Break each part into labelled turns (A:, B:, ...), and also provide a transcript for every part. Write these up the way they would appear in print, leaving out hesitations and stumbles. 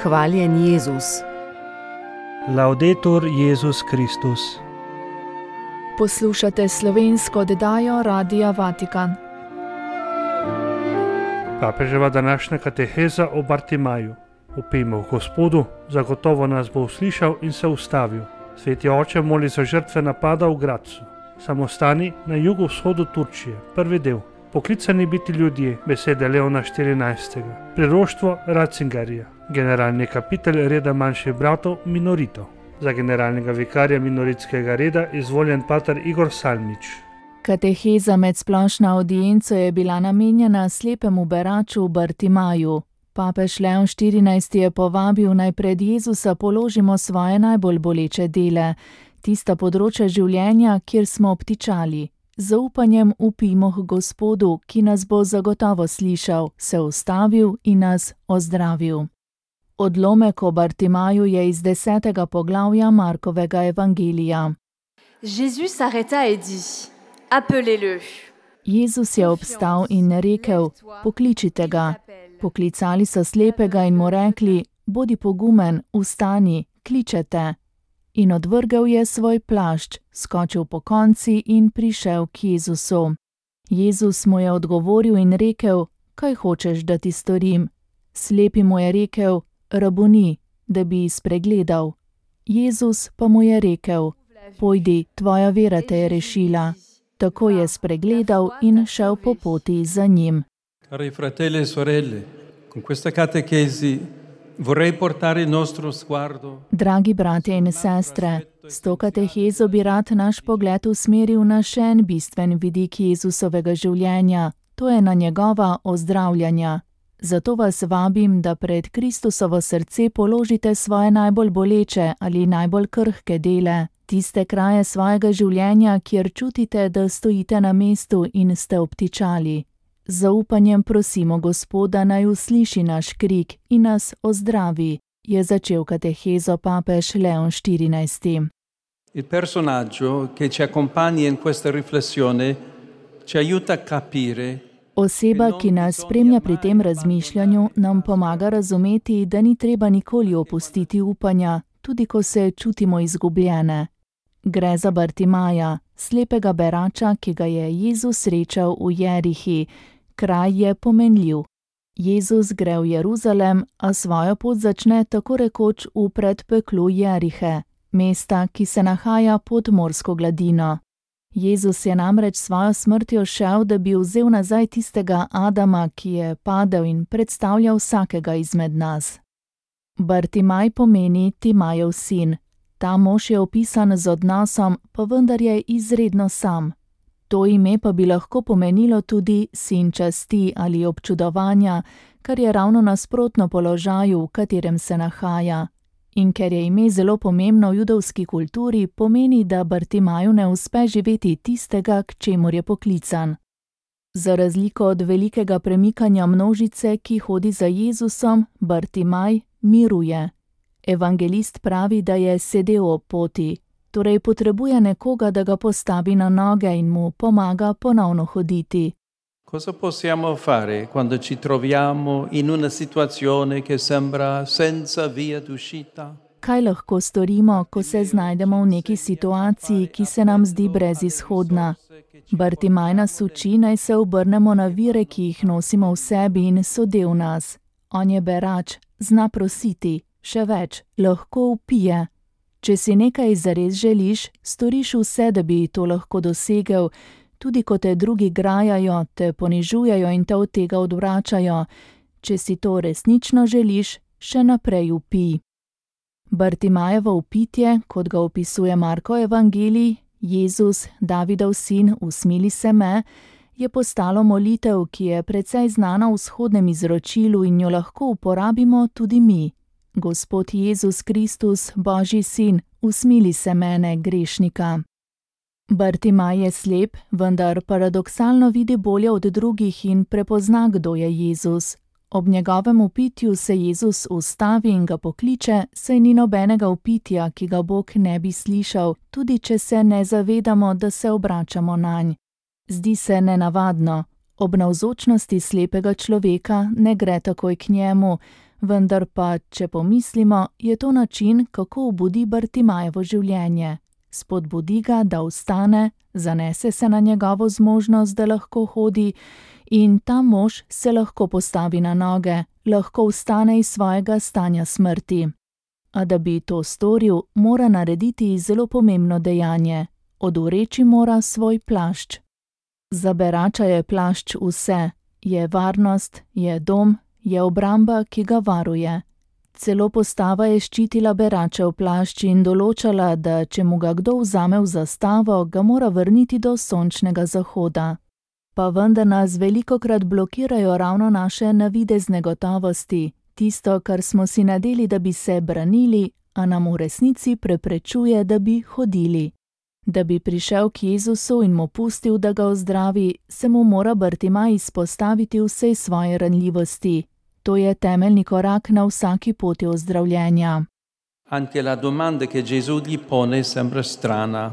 A: Hvaljen Jezus.
B: Laudetur Jezus Kristus.
C: Poslušate slovensko oddajo Radia Vatikan.
B: Papeževa današnja kateheza o Bartimaju. Vpijmo v Gospodu, zagotovo nas bo uslišal in se ustavil. Sveti oče moli za žrtve napada v Grazu, samostani na jugovzhodu Turčije, prvi del. Poklicani biti ljudje, besede Leona XIV. Priroštvo Ratzingerja, generalni kapitelj reda manjših bratov Minorito. Za generalnega vikarja minoritskega reda izvoljen pater Igor Salmič.
C: Kateheza med splošno audienco je bila namenjena slepemu beraču Bartimaju. Papež Leon XIV. Je povabil, naj pred Jezusa položimo svoje najbolj boleče dele, tista področja življenja, kjer smo obtičali. Z zaupanjem vpijmo k Gospodu, ki nas bo zagotovo slišal, se ustavil in nas ozdravil. Odlomek o Bartimaju je iz 10. poglavja Markovega evangelija.
D: Jésus s'arrêta et dit: Appelez-le.
C: Jezus je obstal in rekel: Pokličite ga. Poklicali so slepega in mu rekli: Bodi pogumen, vstani, kličete. In odvrgel je svoj plašč, skočil pokonci in prišel k Jezusu. Jezus mu je odgovoril in rekel: Kaj hočeš, da ti storim? Slepi mu je rekel: Rabuni, da bi spregledal. Jezus pa mu je rekel: Pojdi, tvoja vera te je rešila. Tako je spregledal in šel po poti za njim.
E: Cari fratelli e sorelle, con questa catechesi vorrei portare il nostro sguardo.
C: Dragi bratje in sestre, s to katehezo bi rad naš pogled usmeril na še en bistven vidik Jezusovega življenja, to je na njegova ozdravljanja. Zato vas vabim, da pred Kristusovo srce položite svoje najbolj boleče ali najbolj krhke dele, tiste kraje svojega življenja, kjer čutite, da stojite na mestu in ste obtičali. Z zaupanjem prosimo Gospoda, naj usliši naš krik in nas ozdravi, je začel katehezo papež Leon XIV.
E: Il personaggio che ci accompagna in questa riflessione ci aiuta a capire.
C: Oseba, ki nas spremlja pri tem razmišljanju, nam pomaga razumeti, da ni treba nikoli opustiti upanja, tudi ko se čutimo izgubljene. Gre za Bartimaja, slepega berača, ki ga je Jezus srečal v Jerihi. Kraj je pomenljiv. Jezus gre v Jeruzalem, a svojo pot začne tako rekoč v predpeklu Jerihe, mesta, ki se nahaja pod morsko gladino. Jezus je namreč svojo smrtjo šel, da bi vzel nazaj tistega Adama, ki je padel in predstavljal vsakega izmed nas. Bartimaj pomeni Timajev sin. Ta mož je opisan z odnosom, pa vendar je izredno sam. To ime pa bi lahko pomenilo tudi sin časti ali občudovanja, kar je ravno nasprotno položaju, v katerem se nahaja. In ker je ime zelo pomembno v judovski kulturi, pomeni, da Bartimaju ne uspe živeti tistega, k čemur je poklican. Za razliko od velikega premikanja množice, ki hodi za Jezusom, Bartimaj miruje. Evangelist pravi, da je sedel ob poti, torej potrebuje nekoga, da ga postavi na noge in mu pomaga ponovno hoditi.
E: Cosa possiamo fare quando ci troviamo in una situazione che sembra senza via d'uscita?
C: Kaj lahko storimo, ko se znajdemo v neki situaciji, ki se nam zdi brezizhodna? Bartimaj nas uči, naj se obrnemo na vire, ki jih nosimo v sebi in so del nas. On je berač, zna prositi, še več, lahko vpije. Če si nekaj zares želiš, storiš vse, da bi to lahko dosegel, tudi ko te drugi grajajo, te ponižujejo in te od tega odvračajo. Če si to resnično želiš, še naprej vpij. Bartimajevo vpitje, kot ga opisuje Markov evangelij, Jezus, Davidov sin, usmili se me, je postalo molitev, ki je precej znana v vzhodnem izročilu in jo lahko uporabimo tudi mi. Gospod Jezus Kristus, Božji sin, usmili se mene, grešnika. Bartimaj je slep, vendar paradoksalno vidi bolje od drugih in prepozna, kdo je Jezus. Ob njegovem vpitju se Jezus ustavi in ga pokliče, saj ni nobenega vpitja, ki ga Bog ne bi slišal, tudi če se ne zavedamo, da se obračamo nanj. Zdi se nenavadno. Ob navzočnosti slepega človeka ne gre takoj k njemu, Vendar pa, če pomislimo, je to način, kako obudi Bartimajevo življenje. Spodbudi ga, da vstane, zanese se na njegovo zmožnost, da lahko hodi, in ta mož se lahko postavi na noge, lahko vstane iz svojega stanja smrti. A da bi to storil, mora narediti zelo pomembno dejanje. Odvreči mora svoj plašč. Za berača je plašč vse, je varnost, je dom, je obramba, ki ga varuje. Celo postava je ščitila beračev plašč in določala, da če mu ga kdo vzame v zastavo, ga mora vrniti do sončnega zahoda. Pa vendar nas velikokrat blokirajo ravno naše navidezne gotovosti, tisto, kar smo si nadeli, da bi se branili, a nam v resnici preprečuje, da bi hodili. Da bi prišel k Jezusu in mu pustil, da ga ozdravi, se mu mora Bartimaj izpostaviti vsej svoje ranljivosti. To je temeljni korak na vsaki poti ozdravljenja.
E: Anche la domanda che Gesù gli pone sembra strana.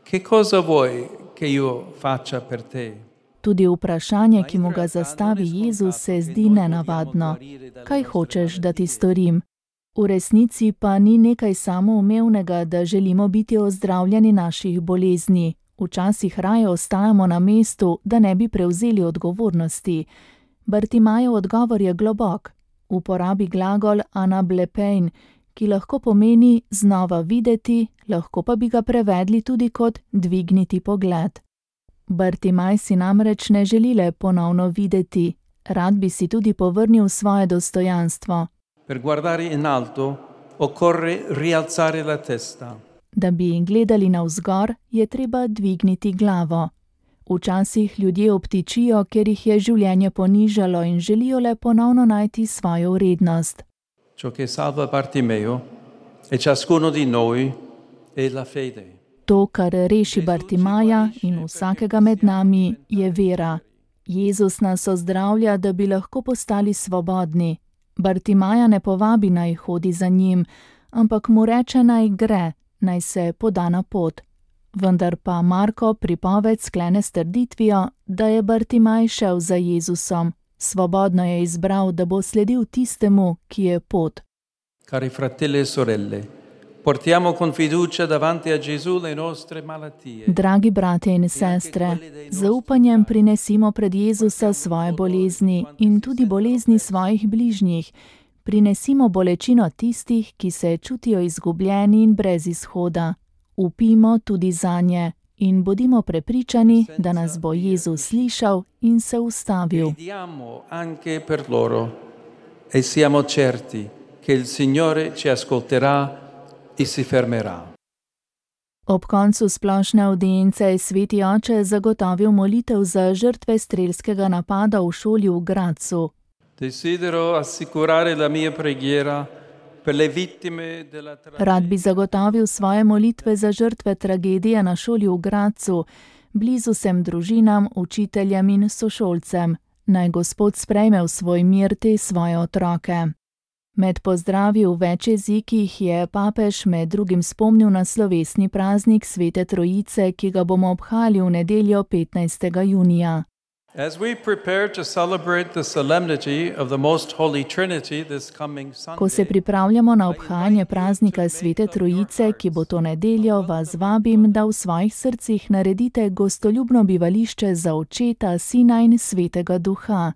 E: Che cosa vuoi che io faccia per te?
C: Tudi vprašanje, ki mu ga zastavi Jezus, se zdi nenavadno. Kaj hočeš, da ti storim? V resnici pa ni nekaj samoumevnega, da želimo biti ozdravljeni naših bolezni. Včasih raje ostajamo na mestu, da ne bi prevzeli odgovornosti. Bartimajev odgovor je globok. Uporabi glagol anablepein, ki lahko pomeni znova videti, lahko pa bi ga prevedli tudi kot dvigniti pogled. Bartimaj si namreč ne želi le ponovno videti, rad bi si tudi povrnil svoje dostojanstvo.
E: Per guardare in alto occorre rialzare la testa.
C: Da bi gledali navzgor, je treba dvigniti glavo. Včasih ljudje obtičijo, ker jih je življenje ponižalo in želijo le ponovno najti svojo vrednost.
E: Ciò che salva Bartimeo e ciascuno di noi è la fede.
C: To, kar reši Bartimaja in vsakega med nami, je vera. Jezus nas ozdravlja, da bi lahko postali svobodni. Bartimaja ne povabi, naj hodi za njim, ampak mu reče, naj gre, naj se poda na pot. Vendar pa Marko pripoved sklene s trditvijo, da je Bartimaj šel za Jezusom. Svobodno je izbral, da bo sledil tistemu, ki je pot.
E: Cari fratelli e sorelle, portiamo con fiducia davanti a Gesù le nostre malattie.
C: Dragi bratje in sestre, z zaupanjem prinesimo pred Jezusa svoje bolezni in tudi bolezni svojih bližnjih. Prinesimo bolečino tistih, ki se čutijo izgubljeni in brez izhoda. Upimo tudi zanje in bodimo prepričani, da nas bo Jezus slišal in se ustavil.
E: Preghiamo anche per loro e siamo certi che il Signore ci ascolterà e si fermerà.
C: Ob koncu splošne audience je sveti oče zagotovil molitev za žrtve strelskega napada v šoli v Gradcu.
E: Desidero assicurare la mia preghiera per le vittime della
C: Rad bi zagotovil svoje molitve za žrtve tragedije na šoli v Gradcu, blizu vsem družinam, učiteljem in sošolcem. Naj Gospod sprejme v svoj mir te svoje otroke. Med pozdravi v več jezikih je papež med drugim spomnil na slovesni praznik Svete Trojice, ki ga bomo obhajali v nedeljo 15. junija.
E: As we prepare to celebrate the solemnity of the Most Holy Trinity this coming Sunday,
C: Ko se pripravljamo na obhajanje praznika Svete Trojice, ki bo to nedeljo, vas vabim, da v svojih srcih naredite gostoljubno bivališče za Očeta, Sina in Svetega Duha,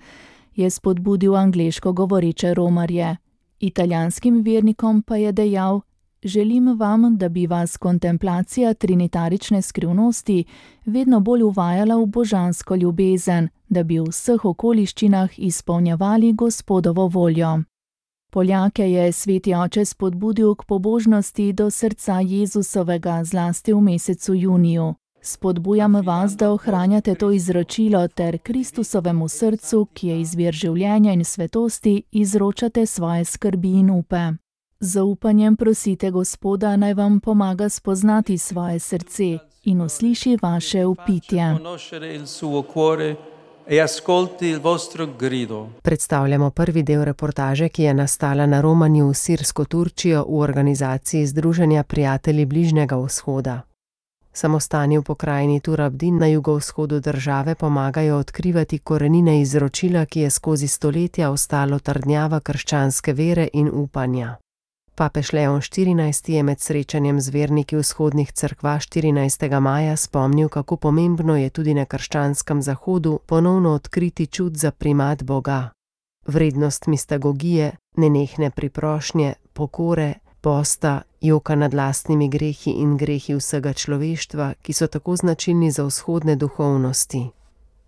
C: je spodbudil angleško govoreče romarje. Italijanskim vernikom pa je dejal: želim vam, da bi vas kontemplacija trinitarične skrivnosti vedno bolj uvajala v božansko ljubezen, da bi v vseh okoliščinah izpolnjevali Gospodovo voljo. Poljake je sveti oče spodbudil k pobožnosti do srca Jezusovega, zlasti v mesecu juniju. Spodbujam vas, da ohranjate to izročilo ter Kristusovemu srcu, ki je izvir življenja in svetosti, izročate svoje skrbi in upe. Z zaupanjem prosite Gospoda, naj vam pomaga spoznati svoje srce in usliši vaše vpitje.
A: Predstavljamo prvi del reportaže, ki je nastala na romanju v Sirsko Turčijo v organizaciji Združenja prijatelji Bližnjega vzhoda. Samostani v pokrajini Tur-Abdin na jugovzhodu države pomagajo odkrivati korenine izročila, ki je skozi stoletja ostalo trdnjava krščanske vere in upanja. Papež Leon XIV je med srečanjem z verniki vzhodnih cerkva 14. maja spomnil, kako pomembno je tudi na krščanskem zahodu ponovno odkriti čut za primat Boga. Vrednost mistagogije, nenehne priprošnje, pokore, posta, joka nad lastnimi grehi in grehi vsega človeštva, ki so tako značilni za vzhodne duhovnosti.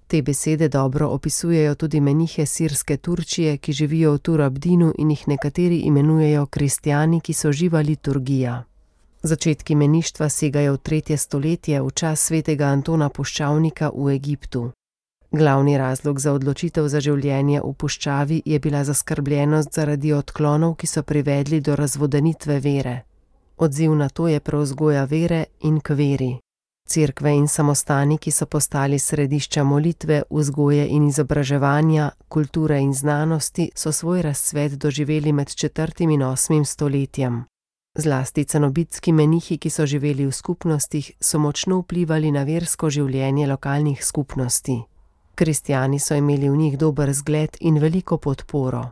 A: Te besede dobro opisujejo tudi menihe sirske Turčije, ki živijo v Tur-Abdinu in jih nekateri imenujejo kristjani, ki so živa liturgija. Začetki meništva segajo v 3. stoletje, v čas svetega Antona Puščavnika v Egiptu. Glavni razlog za odločitev za življenje v puščavi je bila zaskrbljenost zaradi odklonov, ki so privedli do razvodenitve vere. Odziv na to je prevzgoja vere in k veri. Cerkve in samostani, ki so postali središča molitve, vzgoje in izobraževanja, kulture in znanosti, so svoj razcvet doživeli med 4. in 8. stoletjem. Zlasti cenobitski menihi, ki so živeli v skupnostih, so močno vplivali na versko življenje lokalnih skupnosti. Kristjani so imeli v njih dober zgled in veliko podporo.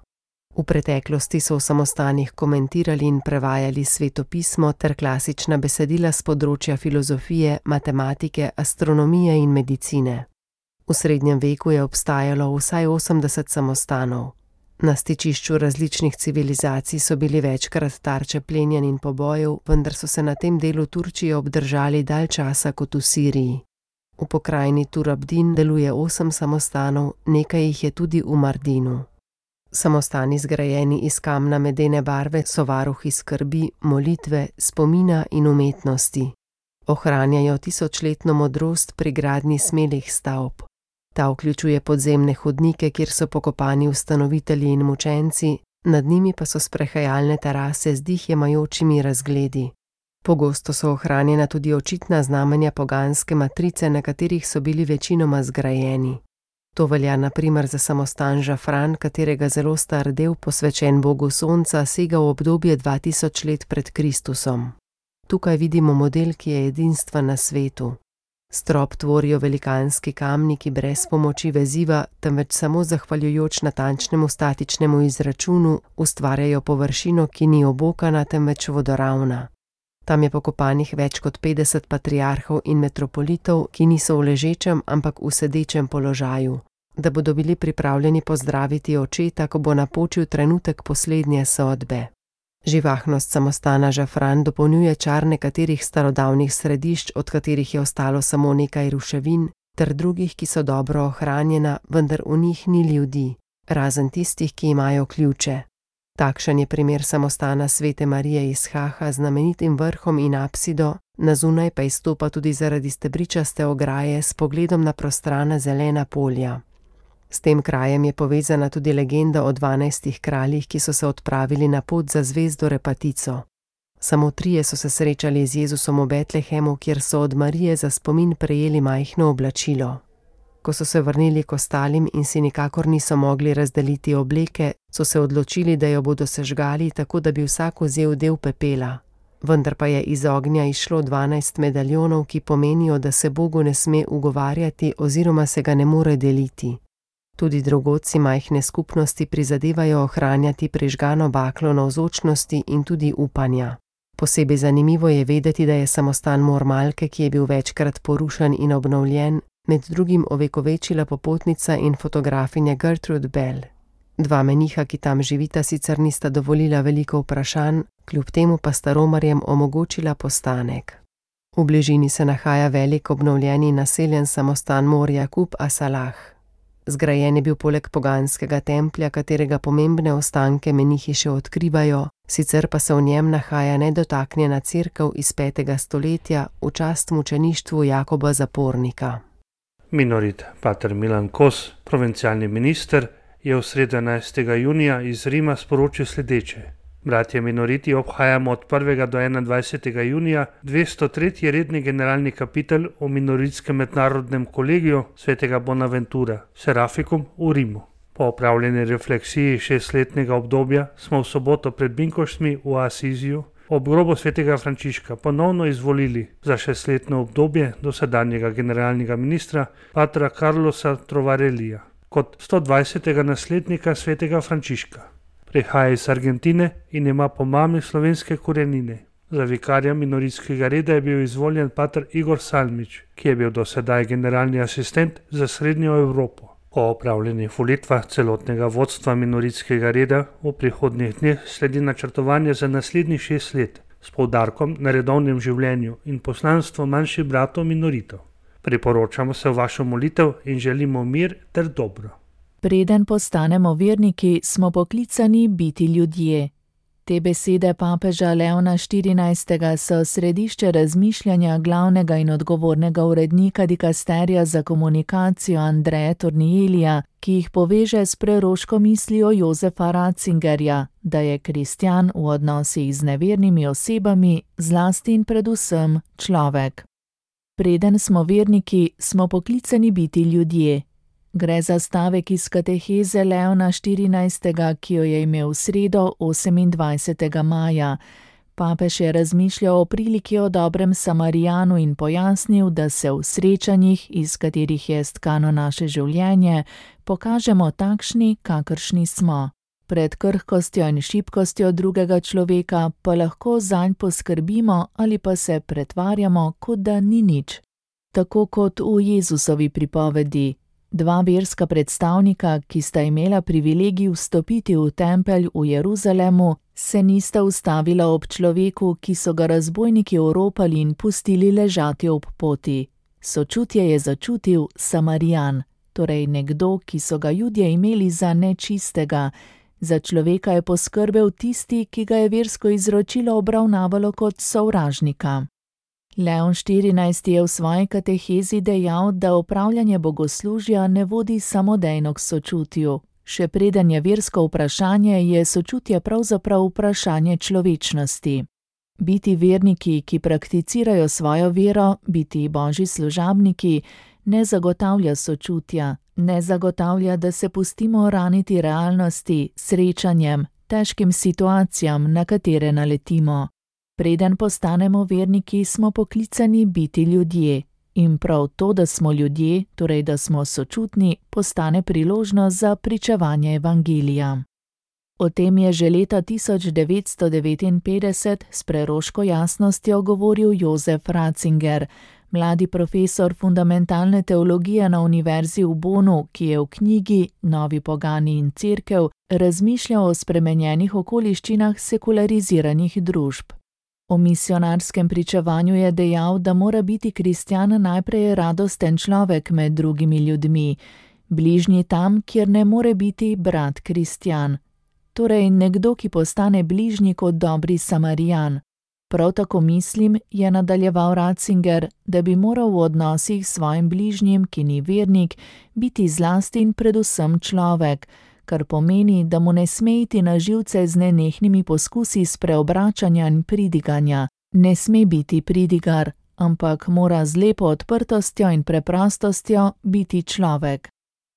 A: V preteklosti so v samostanih komentirali in prevajali svetopismo ter klasična besedila s področja filozofije, matematike, astronomije in medicine. V srednjem veku je obstajalo vsaj 80 samostanov. Na stičišču različnih civilizacij so bili večkrat tarče plenjenj in pobojev, vendar so se na tem delu Turčije obdržali dalj časa kot v Siriji. V pokrajini Tur-Abdin deluje 8 samostanov, nekaj jih je tudi v Mardinu. Samostani zgrajeni iz kamna medene barve so varuhi skrbi, molitve, spomina in umetnosti. Ohranjajo tisočletno modrost pri gradnji smelih stavb. Ta vključuje podzemne hodnike, kjer so pokopani ustanovitelji in mučenci, nad njimi pa so sprehajalne terase z dih jemajočimi razgledi. Pogosto so ohranjena tudi očitna znamenja poganske matrice, na katerih so bili večinoma zgrajeni. To velja na primer za samostan Žafran, katerega zelo star del, posvečen Bogu Sonca, sega v obdobje 2000 let pred Kristusom. Tukaj vidimo model, ki je edinstven na svetu. Strop tvorijo velikanski kamni, ki brez pomoči veziva, temveč samo zahvaljujoč natančnemu statičnemu izračunu ustvarjajo površino, ki ni obokana, temveč vodoravna. Tam je pokopanih več kot 50 patriarhov in metropolitov, ki niso v ležečem, ampak v sedečem položaju, da bodo bili pripravljeni pozdraviti očeta, ko bo napočil trenutek poslednje sodbe. Živahnost samostana Žafran dopolnjuje čar nekaterih starodavnih središč, od katerih je ostalo samo nekaj ruševin, ter drugih, ki so dobro ohranjena, vendar v njih ni ljudi, razen tistih, ki imajo ključe. Takšen je primer samostana Svete Marije iz Haha z znamenitim vrhom in apsido, na zunaj pa izstopa tudi zaradi stebričaste ograje s pogledom na prostrana zelena polja. S tem krajem je povezana tudi legenda o 12 kraljih, ki so se odpravili na pot za zvezdo Repatico. Samo 3 so se srečali z Jezusom v Betlehemu, kjer so od Marije za spomin prejeli majhno oblačilo. Ko so se vrnili k ostalim in si nikakor niso mogli razdeliti obleke, so se odločili, da jo bodo sežgali, tako da bi vsak vzel del pepela. Vendar pa je iz ognja izšlo 12 medaljonov, ki pomenijo, da se Bogu ne sme ugovarjati oziroma se ga ne more deliti. Tudi drugod si majhne skupnosti prizadevajo ohranjati prižgano baklo navzočnosti in tudi upanja. Posebej zanimivo je vedeti, da je samostan Mormalke, ki je bil večkrat porušen in obnovljen, med drugim ovekovečila popotnica in fotografinja Gertrude Bell. 2 meniha, ki tam živita, sicer nista dovolila veliko vprašanj, kljub temu pa sta romarjem omogočila postanek. V bližini se nahaja velik obnovljeni naseljen samostan Mor Jakub Asalah. Zgrajen je bil poleg poganskega templja, katerega pomembne ostanke menihi še odkrivajo, sicer pa se v njem nahaja nedotaknjena cerkev iz 5. stoletja v čast mučeništvu Jakoba Zapornika.
B: Minorit pater Milan Kos, provincialni minister, je v sredo 11. junija iz Rima sporočil sledeče. Bratje minoriti obhajamo od 1. do 21. junija 203. redni generalni kapitel v minoritskem mednarodnem kolegiju svetega Bonaventura, Serafikum v Rimu. Po opravljeni refleksiji 6-letnega obdobja smo v soboto pred Binkoštmi v Asiziju ob grobu svetega Frančiška ponovno izvolili za 6-letno obdobje dosedanjega generalnega ministra patra Carlosa Trovarellija kot 120. naslednika svetega Frančiška. Prihaja iz Argentine in ima po mami slovenske korenine. Za vikarja minoritskega reda je bil izvoljen pater Igor Salmič, ki je bil dosedaj generalni asistent za Srednjo Evropo. Po opravljenih volitvah celotnega vodstva minoritskega reda v prihodnjih dneh sledi načrtovanje za naslednjih 6 let s poudarkom na redovnem življenju in poslanstvu manjših bratov minoritov. Priporočamo se v vašo molitev in želimo mir ter dobro.
C: Preden postanemo verniki, smo poklicani biti ljudje. Te besede papeža Leona XIV. So središče razmišljanja glavnega in odgovornega urednika dikasterija za komunikacijo Andreja Tornielija, ki jih poveže s preroško mislijo Josefa Ratzingerja, da je kristjan v odnosih z nevernimi osebami zlasti in predvsem človek. Preden smo verniki, smo poklicani biti ljudje. Gre za stavek iz kateheze Leona XIV., ki jo je imel v sredo 28. maja. Papež je razmišljal o priliki o dobrem Samarijanu in pojasnil, da se v srečanjih, iz katerih je stkano naše življenje, pokažemo takšni, kakršni smo. Pred krhkostjo in šibkostjo drugega človeka pa lahko zanj poskrbimo ali pa se pretvarjamo, kot da ni nič. Tako kot v Jezusovi pripovedi. 2 verska predstavnika, ki sta imela privilegij vstopiti v tempelj v Jeruzalemu, se nista ustavila ob človeku, ki so ga razbojniki oropali in pustili ležati ob poti. Sočutje je začutil Samarijan, torej nekdo, ki so ga Judje imeli za nečistega. Za človeka je poskrbel tisti, ki ga je versko izročilo obravnavalo kot sovražnika. Leon XIV. Je v svoji katehezi dejal, da opravljanje bogoslužja ne vodi samodejno k sočutju. Še preden je versko vprašanje, je sočutje pravzaprav vprašanje človečnosti. Biti verniki, ki prakticirajo svojo vero, biti božji služabniki, ne zagotavlja sočutja, ne zagotavlja, da se pustimo raniti realnosti, srečanjem, težkim situacijam, na katere naletimo. Preden postanemo verniki, smo poklicani biti ljudje. In prav to, da smo ljudje, torej da smo sočutni, postane priložnost za pričevanje evangelija. O tem je že leta 1959 s preroško jasnostjo govoril Josef Ratzinger, mladi profesor fundamentalne teologije na univerzi v Bonu, ki je v knjigi Novi pogani in cerkev razmišljal o spremenjenih okoliščinah sekulariziranih družb. O misionarskem pričevanju je dejal, da mora biti kristjan najprej radosten človek med drugimi ljudmi, bližnji tam, kjer ne more biti brat kristjan. Torej nekdo, ki postane bližnji kot dobri Samarijan. Prav tako mislim, je nadaljeval Ratzinger, da bi moral v odnosih s svojim bližnjim, ki ni vernik, biti zlasti in predvsem človek, kar pomeni, da mu ne sme iti na živce z nenehnimi poskusi spreobračanja in pridiganja. Ne sme biti pridigar, ampak mora z lepo odprtostjo in preprostostjo biti človek.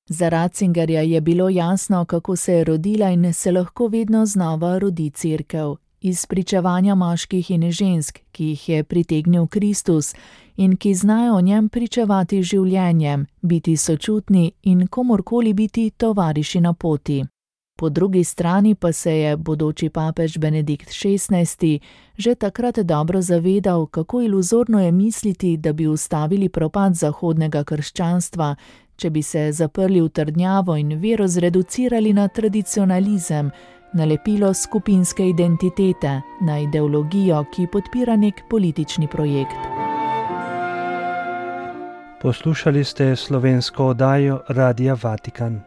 C: Za Ratzingerja je bilo jasno, kako se je rodila in se lahko vedno znova rodi cerkev. Iz pričevanja moških in žensk, ki jih je pritegnil Kristus in ki znajo o njem pričevati življenjem, biti sočutni in komorkoli biti tovariši na poti. Po drugi strani pa se je bodoči papež Benedikt XVI. Že takrat dobro zavedal, kako iluzorno je misliti, da bi ustavili propad zahodnega krščanstva, če bi se zaprli v trdnjavo in vero zreducirali na tradicionalizem, nalepilo skupinske identitete, na ideologijo, ki podpira nek politični projekt.
B: Poslušali ste slovensko oddajo Radia Vatikan.